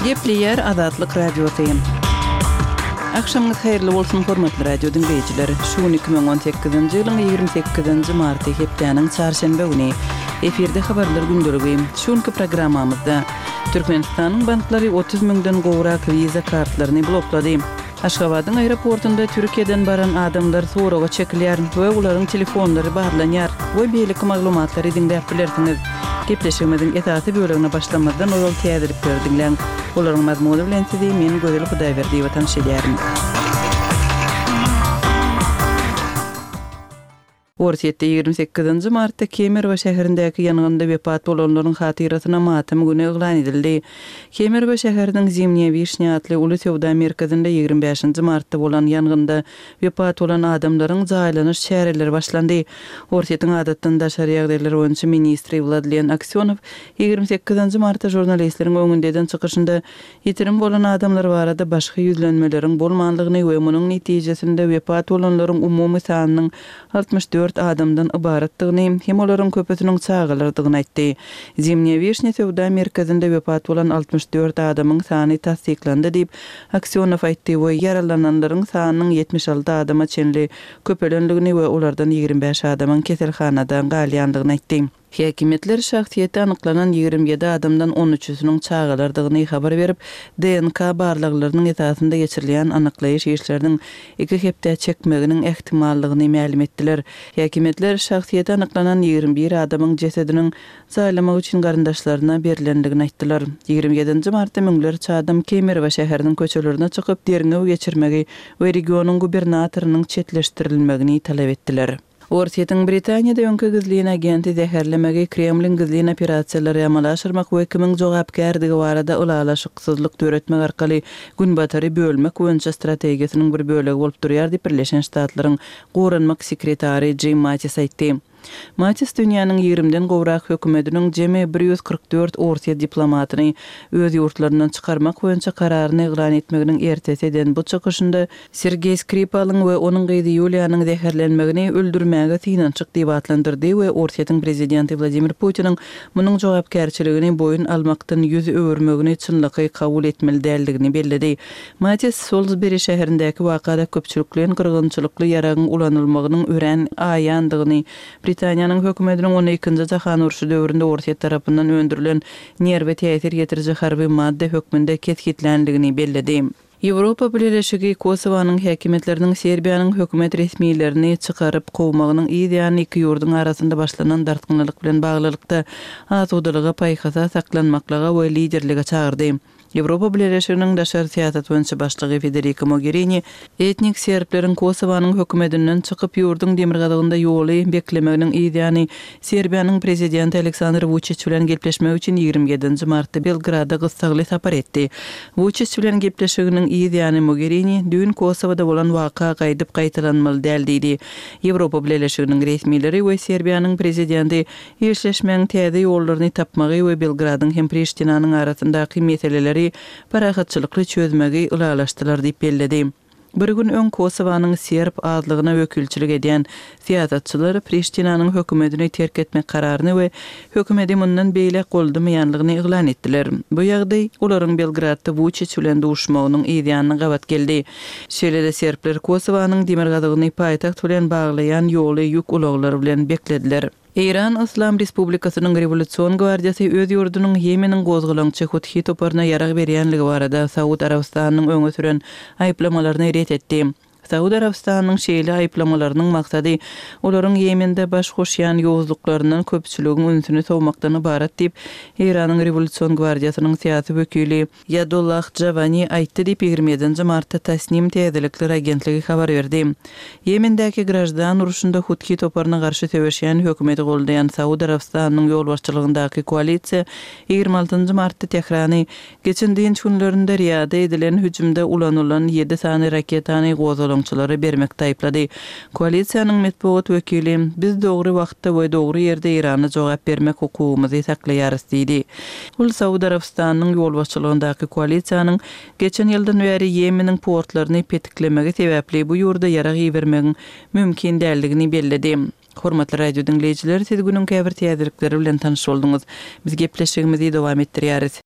Gepleýär Azatlyk Radiosy. Agşamyňyz haýyrly bolsun, hormatly radio diňleýjiler! Şu gün 2018-nji ýylyň 28-nji marty, hepdäniň çarşenbe güni. Efirde habarlar gündeligi. Şu günki programmamyzda Türkmenistanyň banklary 30 müňden gowrak Visa kartlaryny bloklady. Aşgabadyň aeroportunda Türkiýeden baran adamlar soraga çekilýär we olaryň telefonlary barlanýar we beýleki maglumatlary diňläp bilersiňiz. Gepleşigimiziň esasy bölegine başlamazdan ozal täzelikleri diňläň. Olaryň mazmuny bilen sizi men Gözel Hudaýberdiýewa tanyş edýärin. Orsýetde 28 nji martda Kemerowo şäherindäki ýangynda wepat bolanlaryň hatyrasyna matam güni yglan edildi. Kemerowo şäheriniň Zimnýa wişnýa atly uly söwda merkezinde 25 nji martda bolan ýangynda wepat bolan adamlaryň jaýlanyş çäreleri başlandy. Orsýetiň adatdan daşary ýagdaýlar boýunça ministri Wladlen Aksýonow 28 nji martda žurnalistleriň öňünde eden çykyşynda Ýitirim bolan adamlar barada başga ýüzlenmeleriň bolmanlygyny we munuň netijesinde wepat bolanlaryň umumy sanynyň 64 adamdan ybaratdygyny hem olaryň köpüsiniň çagalardygyny aýtdy. Zimnýa wişnýa söwda merkezinde wepat bolan 64 adamyň sany tassyklandy diýip, Aksýonow aýtdy we ýaralananlaryň sanynyň 76 adama çenli köpelendigini we olardan 25 adamyň keselhanada galýandygyny aýtdy. Häkimiýetler şahsyýeti anyklanan 27 adamdan on üçüsiniň çagalardygyny habar berip, DNK barlaglarynyň esasynda geçirilýän anyklaýyş işleriniň iki hepdä çekmeginiň ähtimallygyny mälim etdiler. Häkimiýetler şahsyýeti anyklanan 21 adamyň jesediniň jaýlamak üçin garyndaşlaryna berlendigini aýtdylar. 27 nji martda müňlerçe adam Kemerowo şäheriniň köçelerine çykyp, derňew geçirmegi we regionyň gubernatorynyň çetleşdirilmegini talap etdiler. Orsýetiň Britaniýada öňki gizlin agenti zäherlemegi Kremliň gizlin operasiýalary amala aşyrmak we kimiň jogapkärdigi barada ylalaşyksyzlyk döretmek arkaly Günbatary bölmek boýunça strategiýasynyň bir bölegi bolup durýar diýip, Birleşen Ştatlaryň goranmak sekretary Jim Mattis aýtdy. Mattis dünýäniň ýigrimden gowrak hökümetiniň jemi 144 orsýet diplomatyny öz ýurtlaryndan çykarmak boýunça kararyny yglan etmeginiň ertesi eden bu çykyşynda Sergeý Skripalyň we onuň gyzy Ýuliýanyň zäherlenmegini öldürmäge synanyşyk diýip atlandyrdy we Orsýetiň prezidenti Wladimir Putiniň munuň jogapkärçiligini boýun almakdan ýüz öwürmegini çynlakaý kabul etmeli däldigini belledi. Mattis Solsberi şäherindäki wakada köpçülikleýin gyrgynçylykly ýaragyň ulanylmagynyň örän aýandygyny, Britaniýanyň hökümetiniň ony Ikinji jahan urşy döwründe Orsýet tarapyndan öndürilen nerwe täsir ýetiriji harby madda hökmünde kesgitländigini belledi. Ýewropa Bileleşigi Kosowanyň häkimiýetleriniň Serbiýanyň hökümet resmilerini çykaryp kowmagynyň yz ýany iki ýurduň arasynda başlanan dartgynlylyk bilen baglylykda asudalyga, paýhasa, saklanmaklyga we liderlige çagyrdy. Ýewropa Bileleşiginiň daşary syýasat boýunça başlygy Federika Mogerini etnik serbleriň Kosowanyň hökümetinden çykyp ýurduň demirgazygynda ýoly beklemeginiň yz ýany Serbiýanyň prezidenti Aleksandr Wuçiç bilen gepleşmek üçin 27 nji martda Belgrada gyssagly sapar etdi. Wuçiç bilen gepleşiginiň yz ýany Mogerini, Düýn Kosowada bolan waka gaýdyp gaýtalanmaly däl diýdi. Ýewropa Bileleşiginiň resmileri we Serbiýanyň prezidenti işleşmegiň täze ýollaryny tapmagy we Belgradyň hem Priştinanyň arasyndaky meseleleri parahatçylykly çözmegi ylalaşdylar diýip belledi. Bir gün öň Kosowanyň serb azlygyna wekilçilik edýän syýasatçylar Priştinanyň hökümetini terk etmek kararyny we hökümeti mundan beýläk goldamaýanlygyny yglan etdiler. Bu ýagdaý olaryň Belgradda Wuçiç bilen duşmagynyň yzýanyna gabat geldi. Şeýle-de serbler Kosowanyň demirgazygyny paýtagt bilen baglaýan ýoly ýük ulaglary bilen beklediler. Eýran Yslam Respublikasynyň Rewolýusion gwardiýasy öz ýurdunyň Ýemeniň gozgalaňçy Huthi toparyna ýarag berýänligi barada Saud Arabystanynyň öňe süren aýyplamalaryny ret etdi. Saud Arabystanynyň şeýle aýyplamalarynyň maksady olaryň Ýemende baş goşýan ýowuzlyklaryndan köpçüligiň ünsüni sowmakdan ybarat diýip, Eýranyň Rewolýusion gwardiýasynyň syýasy wekili Ýadullah Jawani aýtdy diýip, 27 nji martda Tasnim täzelikler agentligi habar berdi. Ýemendäki graždan urşunda Huthi toparyna garşy söweşýän hökümeti goldaýan Saud Arabystanynyň ýolbaşçylygyndaky koalisiýa 26 nji martda Tährany geçen dynç günlerinde Riýada edilen hüjümde ulanylan ýedi sany raketany gozgalaňçylara bermekde aýyplady. Koalisiýanyň metbugat wekili, Biz dogry wagtda we dogry ýerde Eýrana jogap bermek hukugymyzy saklaýarys diýdi. Ol Saud Arabystanynyň ýolbaşçylygyndaky koalisiýanyň geçen ýyldan bäri Ýemeniň portlaryny petiklemegi sebäpli bu ýurda ýarag ibermegiň mümkin däldigini belledi. Hormatly radio diňleýjiler, siz günüň käbir täzelikleri bilen tanyş bolduňyz. Biz gepleşigimizi dowam etdirýäris.